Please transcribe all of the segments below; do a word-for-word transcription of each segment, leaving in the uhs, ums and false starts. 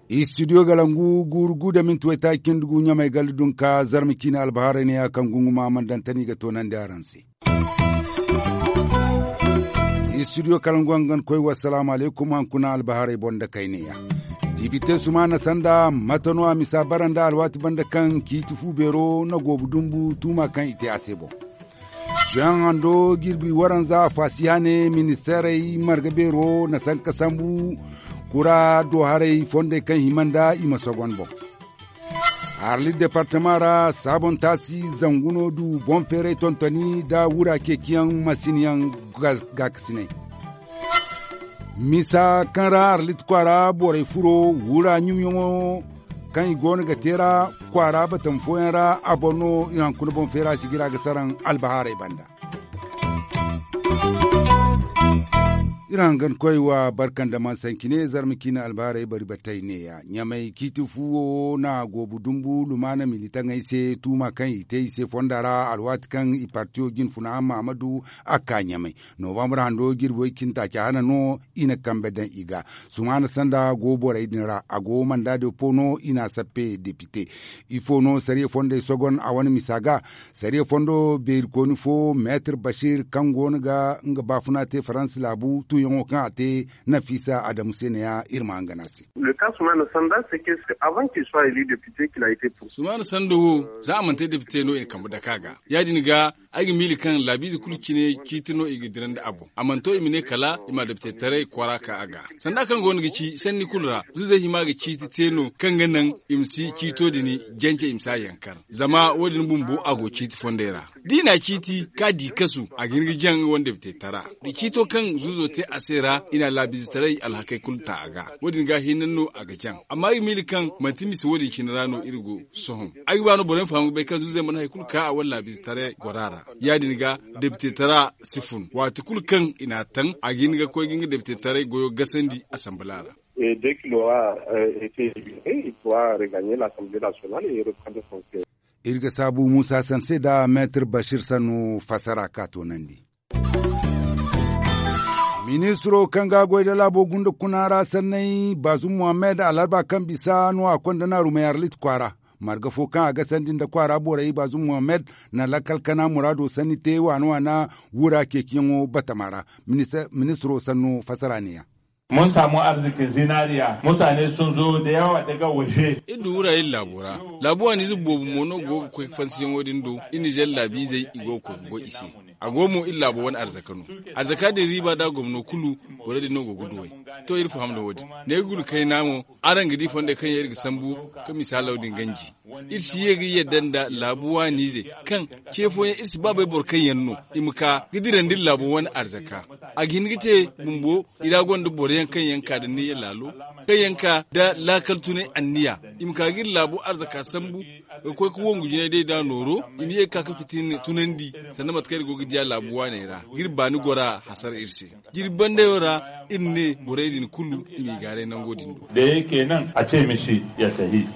Istidiyo galangu guuru gu da minti waytaaci cindi gu ɲamay galli dunka zarma ciine albahaarey ne ya kaŋ gunguma mandantani ga toonandi araŋ se. Istidiyo kalangu hangan koy wassalaamu alaykum hankuna albahaarey boŋ da kayneya. Dibite sumaana sanda mate no a misa bara nda alwaati banda kaŋ ciiti fu beero na goobu dumbu tuuma kaŋ i te a se boŋ. Jean hando jirbi waranza faasiya ne ministeerey marga beero na sanka sambu kura do haray fondey kaŋ hima nda i ma sogon boŋ. Arlit departama ra saabon taasi zangu no du boŋ feeray tontoni nda wura ceeciyaŋ masinyaŋ gaakasinay. Misa kaŋ ra arlit kwaara borey furo wura ɲumyaŋo kaŋ i goono ga te ra kwaara batam fooyaŋ ra a boŋ no iri hankuna boŋ feera sigira ga saraŋ albahaarey banda. Iri hangan koy wa barka nda man sanci ne zarma ciine albahaarey bari batey neeya ɲamay ciiti fu wo na goobu dumbu lumaana militaŋey se tuuma kaŋ i te i se fonda ra alwaati kaŋ i partiyo jinfuna mahamadu a ka ɲamay. Novambar hando jirbi way cindi taaci hana no i na kambe daŋ i ga sumaana sanda go borey din ra a go mandaado po no i na a sappe depite. Ifo no sariya fondey sogon a wane misa ga sariya fondo beerikooni fo meetir bashir kaŋ go no ga nga baafuna te faransa laabu tuuyaŋo kaŋ a te nafiisa adamu se ne ya iri ma hangan a se. Sumaana sanda wo za a mana te depite no i na kambe dake a ga ya- din ga ay ga miila kaŋ laabiize kulu cine ciiti no i ga dirandi a boŋ a mana to i ma ne kala i ma adaptetaray kwaara ka a ga sanda kaŋ go no ga ci sanni kulu ra zuuzey hima ga ciiti te no kaŋ ga naŋ i ma si ciito din jance i ma si a yankar zama wo- din bumbo a go ciiti fondey ra da i na a ciiti ka di kasu a ga hin ga jaŋ nga wane daptetara da ciito kaŋ zuuzo te a se ra i na laabiizetaray alhakey kulu ta a ga wo- din ga hinne no a ga jaŋ amma ay ga miila kaŋ manti mise wo- din cine ra no iri go sohõ ay ga ba no boro yaŋ faham ga bay kaŋ zuuzey mana hari kulu ka a wane laabiizetaray gora ra ya- din ga depite tara si fun waati kulu kaŋ i n'a taŋ a ga hin ga koy ga nga depite taray goyo gasandi asambala ra. Iri ga saabu muusa sanse nda meetir bashir sannu fassara ka toonandi. Ministiro kaŋ ga a goy nda laabo gunda kuna ra sanney baazum muhammad alarba kaŋ bisa no a konda naarumey arlit kwaara marga fo kaŋ a ga sandi nda kwaara borey baazum muhammad na lakkal kana muraado sanni te waana waana wura ceeciyaŋo batama ra. Ministiro sanno fassara ne- ya. Mun saamu arziki zinariya mutane sun zo da yawa daga waje. Iri du wura iri laabo ra laabu waaniize boobo mo no go ga koy fansiyaŋo din do iri nizer laabiizey i go ga koy ga goy i se. A go mo iri laabo wane arzaka no. Arzaka din riiba da gomno kulu borey din no go ga duw'ey. To iri faham nda wo- din ne ga guna kayna mo araŋ ga di fondey kaŋ yaŋ iri ga sambu ka misaalaw din ganji. Iri si ye ga yadda nda laabu waaniizey kaŋ ce fooyaŋ iri si ba bay boro kaŋ yaŋ no i ma ka ga dirandi iri laabu wane arzaka. A ga hin ga te bumbo i ra gonda boro yaŋ kaŋ yaŋ ka nda niyya laalo kaŋ yaŋ ka nda laakal tunay anniya i ma ka ga iri laabu arzaka sambu ga koy ga wongu jinay day da nooro i ma ye ga ka ga fitina tunandi sanda mate kaŋ iri go ga diya laabu waaney ra ga iri baani gora hasara iri se. Jirbi bandayo ra iri ne borey din kulu i m'i gaaray nango din do. Da yake nan a ce mishi ya tahi.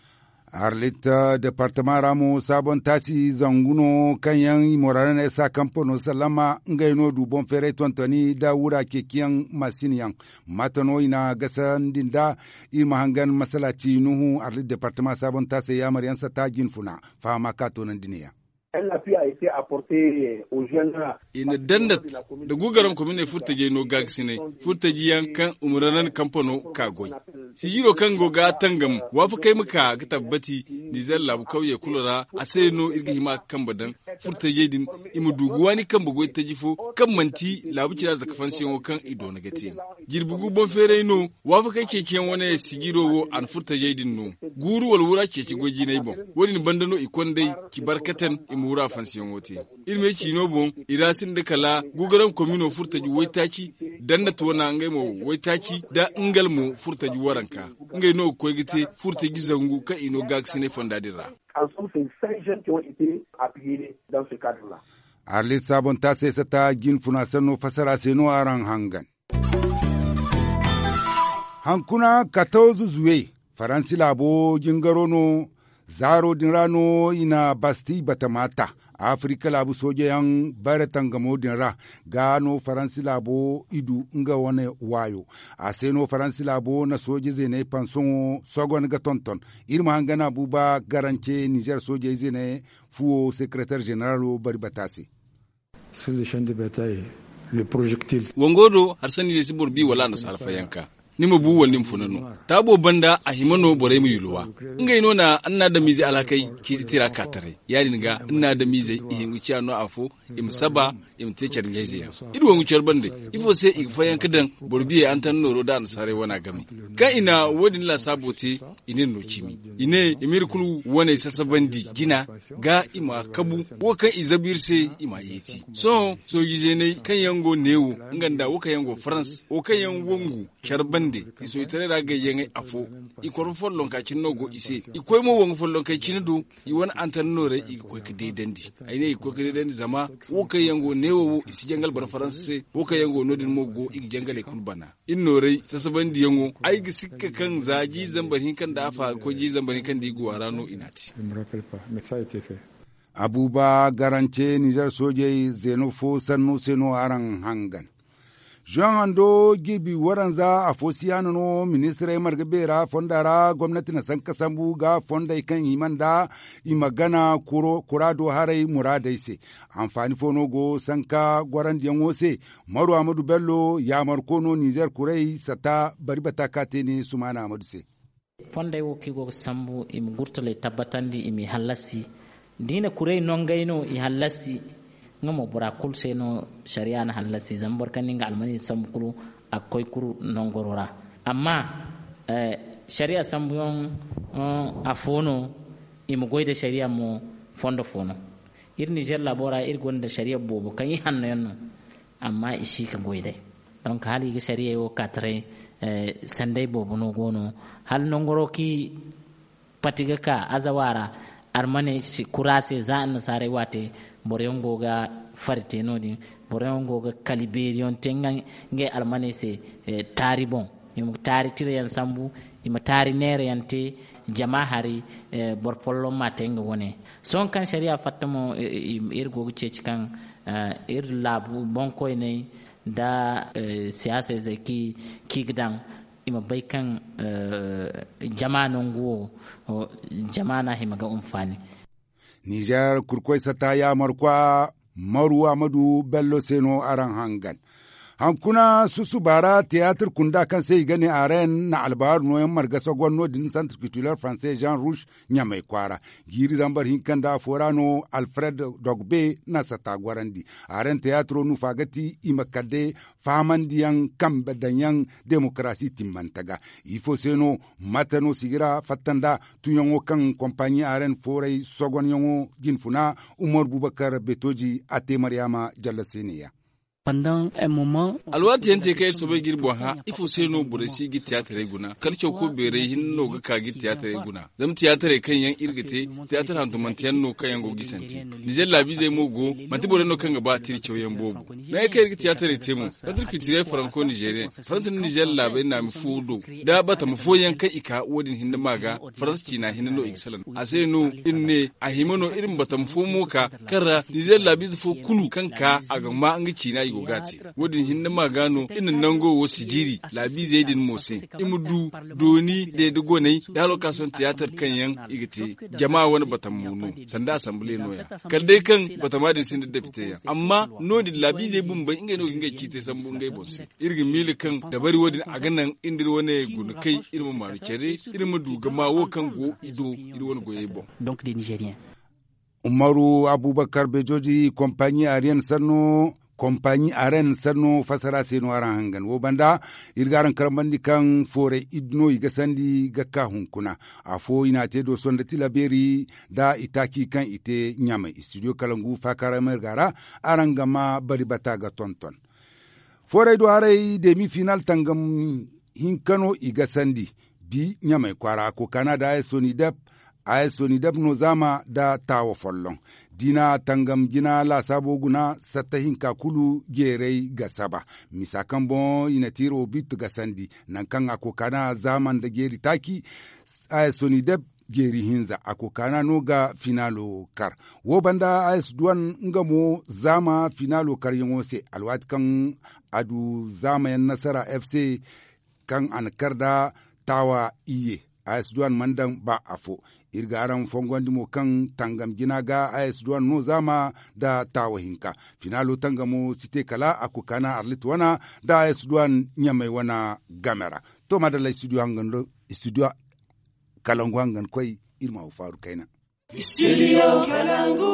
Arlit departama ra mo saabon taasi zangu no kaŋ yaŋ i mora ra ne sa kampano sallama ngey no du boŋ feeray tontoni nda wura ceeciyaŋ masin yaŋ. Mate no i na gasandi nda iri ma hangan masalaci nuhu arlit departama saabon taasey yaamar yaŋ sata jinfuna fahama ka toonandi ne- ya. I na dandat nda gugaram kominey furtajey no gaagasinay furtaji yaŋ kaŋ umuranan kampano ka goy. Sijiro kaŋ go ga tangam waafakey ma ka ga tabbati nizer laabu kawyey kulu ra a se no iri ga hima ga kambe daŋ furtajey din i ma du ga waani kambe goy taji fo kaŋ manti laabu cira zaka fansiyaŋo kaŋ i doona ga te. Jirbi gu boŋ feeray no waafakey ceeciyaŋ wane sijiro wo a na furtajey din no guuru wala wura ceeci goy jinay boŋ. Wo- din banda no i kond'ey ci barkatan i ma wura fansiyaŋo te. Iri me ciino boŋ i ra sinda kala gugaram komino furtaji waytaaci dandat wana ngey mo waytaaci nda ngal mo furtaji waranka. Ngey no ga koy ga te furtaji zangu kaŋ i no gaagasinay fonda din ra. Arlit saabon taasey sata jinfuna sanno fassara se no araŋ hangan. Hankuna katawzu zuwe faransi laabo jingaro no. Zaaro din ra no i na basti batama ta. Afirika laabu sooje yaŋ bare tangamo din ra ga no faransi laabo i du nga wane waayo. A se no faransi laabo na sooje zeeney pansoŋo sogon ga tonton. Iri ma hangan abuba garance nizer soojey zeeney fuwo sekeretar zeneralo bari bata se. Wango do hari sanni ne si boro bi wala annasaara fayanka. Ni ma bu wala ni ma funa no. Taabo banda a hima no borey ma yulwa. Ngey no na annaadamiizey alhakey ciiti tira ka taray. Ya- din ga annaadamiizey i hin ga ciya no afo, i ma saba, i ma te care ɲayze yaŋ. Iri wangu care bande, ifo se i ga fayanka daŋ boro biyey antan nooro nda annasaarey wana game. Kaŋ i na wo- din laasaabo te, i n'iri no cimi. I ne i m'iri kulu waney sasabandi jina ga i ma kabu, wo kaŋ i zabu iri se, i m'a yeeti. Sohõ sooji zeeney kaŋ yaŋ go neewo, nga nda wo kaŋ yaŋ go farans, wo kaŋ yaŋ wangu care bande, i sooji taray ra gayyaŋey afo. I korfo follonka cine no go i se. I koy mo wangu follonkey cine do, i wane antannoorey i ga koy ga deedandi. Ay ne i ga koy ga deedandi zama wo kaŋ yaŋ go neewo wo i si jangal boro farans se. Wo kaŋ yaŋ go no- din mo go i ga jangaley kulu bana. Iri noorey sasabandiyaŋo, ay ga sikka kaŋ za jiiri zambar hinka nda afa ga koy jiiri zambar hinka nda i go a ra no i n'a te. Abuba garance nizer soojey zeeno fo sanno se no araŋ hangan. Zoŋ hando jirbi waranza afo siyaana no ministirey marga beera fonda ra gomnati na sanka sambu ga fondey kaŋ hima nda i ma gana kuraado haray muraadey se. Anfaani fo no go sanka gorandiyaŋo se. Maru amadu bello yaamarko no nizer kurey sata bari bata ka te ne sumaana amadu se. Fondey wo kaŋ i go ga sambu i ma gurtaley tabbatandi i m'i hallasi. Da i na kuray nongey no i hallasi. Nga mo bora kulu se no sariya na hallasi zama boro kaŋ na nga almaney sambu kulu a ga koy kulu nongoro ra. Amma sariya sambuyaŋ afo no. I ma goy nda sariya mo fondo fo no. Iri nizer laabo ra iri gonda sariya boobo kaŋ i hanno yaŋ no. Amma i si ga goy day. Donk hala i ga sariyey wo ka taray. Sanday boobo no go no hala nangaro kaŋ i pati ga ka azawa ra. Armaney kura se za annasaarey waate boro yaŋ go ga fari te no- din. Boro yaŋ go ga kali beeriyaŋ te ngey armaney se taari boŋ. I ma taari tirayaŋ sambu. I ma taari neerayaŋ te jama hari. Boro folloŋ ma te nga wane. Sohõ kaŋ sariya fatta mo iri go ga ceeci kaŋ iri laabu boŋkoyney nda siyaasa izey kaŋ i ga daŋ i ma bay kaŋ jama nangu wo jama no a hima ga hunfaani. Nizer kurkoy sata yaamarkwa maru amadu bello se no araŋ hangan. Hankuna susuba ra tiyaatir kunda kaŋ se i ga ne aren na albaaru nooyaŋ marga sogon no- din santir kitiler faranse jean rouge ɲamay kwaara. Jiiri zambar hinka nda afo ra no alfred dogbe na sata gorandi. Aren tiyaatiro nufa ga ti i ma kala day fahamandiyaŋ kambe daŋyaŋ demokarasi timmante ga. Ifo se no mate no sigira fatta nda tunyaŋo kaŋ kompaɲi aren fooray sogonyaŋo jinfuna umar bubakar betoji a te maryaama jalla se ne- ya. Alwaati yaŋ te kaŋ iri soobay ga iri boŋ hã ifo se no borey si ga iri tiyaatarey guna kala cawko beerey hinne no ga ka ga iri tiyaatarey guna. Zama tiyaatarey kaŋ yaŋ iri ga te tiyaatar hantumante yaŋ no kaŋ yaŋ go ga i sante. Nizer laabiizey mo go manti borey no kaŋ ga ba tira cawyaŋ boobo. Naŋ ay kaŋ iri ga tiyaatarey te mo santir kultirel faranko nizeriyeŋ faransa nda nizer laabey naami fo do da batama fooyaŋ kaŋ i ka wo- din hinne ma ga. Faransa ciina hinne no i ga salaŋ a se no iri ne a hima no iri ma batama fo mo ka kaŋ ra nizer laabiize fo kulu kaŋ ka a ga ma nga ciina i go ga a te. Wo- din hinne ma ga no iri na nango wo sijiri laabiizey din mo se i ma du dooni deede goney da hala wo kaŋ a sohõ tiyaatar kaŋ yaŋ i ga te. Jama wane batama mo no sanda asanbile no- ya kala day kaŋ batama din sinda depite yaŋ amma no- din laabiizey bumbey ngey no ga ngey ciitey sambu ngey boŋ se. Iri ga miila kaŋ dabari wo- din a ga naŋ iri nda iri wane guna kay iri ma maanu care iri ma du ga ma wo kaŋ go i do iri wane goyey boŋ. Umaru abubakar bejoji kompaɲi ariyan sanno kompaɲi aren sanno fassara se no araŋ hangan wo banda. Iri ga araŋ karambandi kaŋ fooray iddu no i ga sandi ga ka hunkuna afo i n'a te dooso nda tilabeeri nda itaaci kaŋ i te ɲamay istidiyo kalangu faakaaray marga ra. Araŋ ga ma bari bata ga tonton fooray do haray demi final tangam hinka no i ga sandi. Bi ɲamay kwaara kokaana da a ye soni dab a ye soni dab no zaama nda taawa folloŋ. Diina tangam jina laasaabo guna satta hinka kulu jeeray ga saba misa kaŋ boŋ i na tiiro bitti ga sandi. Nangu kaŋ a kokaana zaama nda jeeri taaci a ye soni dab Jeeri hinza a kokaana no ga finaalo kar. Wo banda a s duwan nga mo zaama finaalo karyaŋo se alwaati kaŋ a du zaamayaŋ nasara f c kaŋ a na kar nda taawa iyye. A s duwan mana daŋ ba afo. Iri ga araŋ fongondi mo kaŋ tangam jina ga a s duwan no zaama nda taawa hinka. Finaalo tangamo si te kala a kokaana arlit wana nda a s duwan ɲamay wana game ra. To maadalla studio hangan do studio kalangu hangan koy. Iri ma wo faaru kayna. Studio kalangu.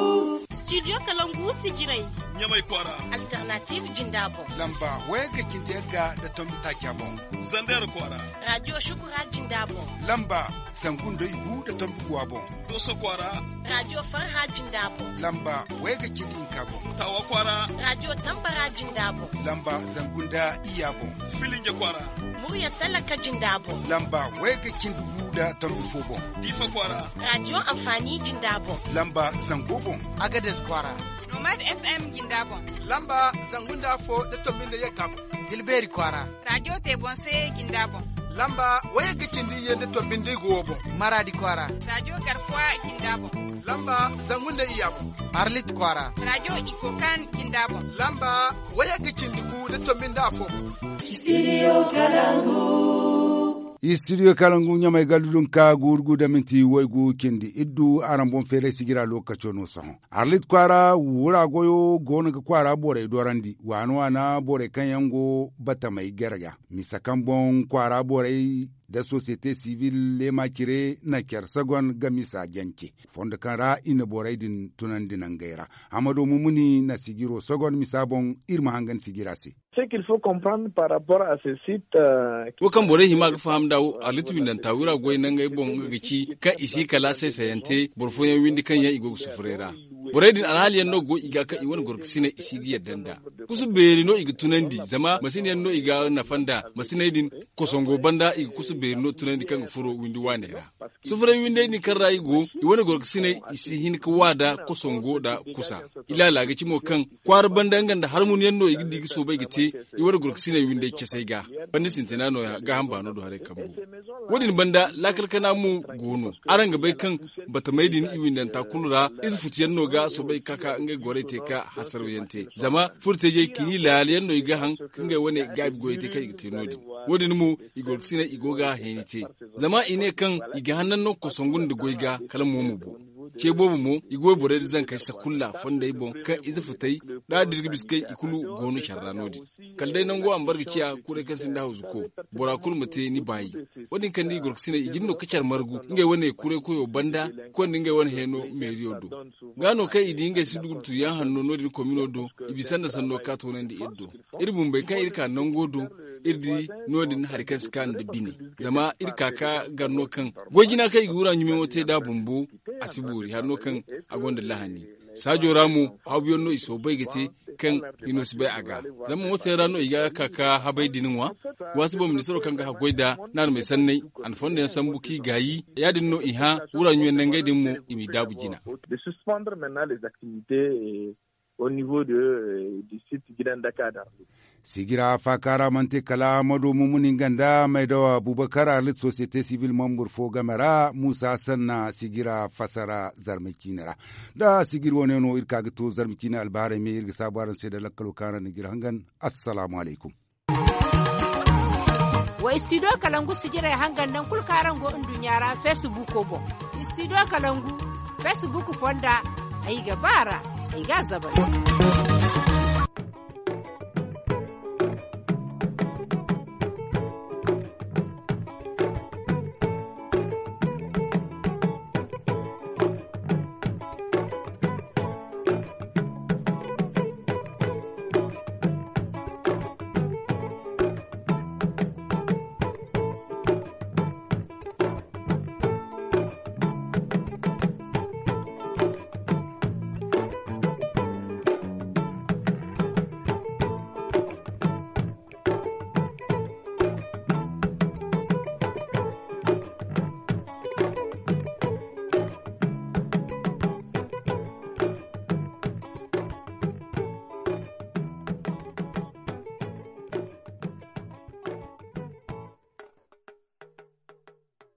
Studio kalangu si jiray. Ɲamay kwaara. Alternative jinda boŋ. Lamba wayga cindi yagga nda tombi taaca boŋ. Zandeer kwaara. Radio shukura jinda boŋ. Lamba zangu nda igu nda tombi guwa boŋ. Dooso kwaara. Radio farha jinda boŋ. Lamba wayga cindi hinka boŋ. Taawa kwaara. Radio tambara jinda boŋ. Lamba zangu nda iyya boŋ. Filinja kwaara. Murya talaka jinda boŋ. Lamba wayga cindi gu nda tombi fo boŋ. Diifa kwaara. Radio anfaani jinda boŋ. Lamba zango boŋ. Agades kwaara. Nomad f m jinda boŋ. Lamba zangu nda afo nda tombi nda yagga boŋ. Dilbeeri kwaara. Radio te boŋ se jinda boŋ. Lamba wayga cindi iyye nda tombi nda igu wo boŋ. Maraadi kwaara. Radio garkuwa jinda boŋ. Lamba zangu nda iyya boŋ. Arlit kwaara. Radio ikokan jinda boŋ. Lamba wayga cindi gu nda tombi nda afo boŋ. Studio kalangu. Studio kalangu ɲamay gallu dun ka guuru gu da minti waygu cindi iddu araŋ boŋ feeray sigira lookaco no sohõ. Arlit kwaara wura goyo goono ga kwaara borey dorandi waana waana borey kaŋ yaŋ go batamey gere ga misa kaŋ boŋ kwaara borey nda sosiyete sibil leema cire na care sagon ga misa jance. Fondo kaŋ ra i na borey din tunandi nangey ra. Hamado mumuni na sijiro sagon misa boŋ. Iri ma hangan sijira se. Wo kaŋ borey hima ga faham nda wo arlit windanta wira goy nangey boŋ nga ga ci kaŋ i si kala saysayante boro fooyaŋ windi kaŋ yaŋ i go ga sufuray ra. Borey din alhaaliyaŋ no go i ga kaŋ i wane gorkasiney i si ga yadda nda kusu beeri no i ga tunandi zama masin yaŋ no i ga nafa nda masiney din. Kosongo banda i ga kusu beeri no tunandi kaŋ ga furo windi waaney ra. Sufuray windey din kaŋ ra i go i wane gorkasiney i si hin ga wa nda kosongo nda kusa. Ilaala ga ci mo kaŋ kwaara banda nga nda harmunyaŋ no i ga di ga soobay ga te i wane gorkasiney windey casay ga. Banda sintina nooya gaaham baano do haray kambu. Wo- din banda laakal kana mo go no araŋ ga bay kaŋ batamey din i windanta kulu ra ize futuyaŋ no ga soobay ga ka ka ngey gorey te ka hasaraw yaŋ te zama furo teejey kini laala yaŋ no i ga haŋ ka ngey wane gaabi goyey te kaŋ i ga te no- din. Wo- din mo i gorkasiney i go ga heeni te zama i ne kaŋ i ga hannan no kosongu nda goy ga kala mo ma bu. Ce boobo mo i ga wayborey nda zankey sakulla fondey boŋ kaŋ ize futey da dirga biskey i kulu go no care ra no- din. Kala day nango a ma bare ga ciya kuray kaŋ sinda hawzuko bora kulu ma te ni baayi. Wo- din kaŋ da i gorkasiney i jin no ga care margu ngey wane kuray koyo banda konda ngey wane heeno meeriyo do. Ga no kaŋ i di ngey si du ga tuyaŋ hanno no- din komino do i bisa nda sanno ga ka toonandi iri do. Iri bumbey kaŋ iri ka nango do iri di no- din hari kaŋ si ka nda bine. Zama iri ka ka gar no kaŋ goy jina kaŋ i ga wura ɲumeyaŋo te nd'a bumbo a si boori hari no kaŋ a gonda lahani. Saajo ra mo hawbuyaŋ no i soobay ga te kaŋ i no si bay a ga. Zama mooto yaŋ ra no i ga ka ka habay din ŋwa. Waati boŋ ministaro kaŋ ga haggoy nda naanamey sanney a na fondo yaŋ sambu kaŋ i gaayi ya- din no i hã wura ɲume nangey din mo i m'i daabu jina. Au niveau de du site gidan daka da. Sigira faaka ra mana te kala ma du mumuni nga nda maydawa abubakar arlit sosiyete sibil mambur fo game ra muusa sanna sigira fasara zarma ciine ra. Da sigir wane no iri ka ga to zarma ciine albaharay me iri ga saabu araŋ se nda lakkalo kaŋ araŋ na g'iri hangan. Assalaamu alaykum. Wa studio kalangu sijiray hangan naŋ kulu kaŋ araŋ go nduɲɲa ra facebook boŋ. Studio kalangu facebook fonda ay ga ba ra ay ga a zabay.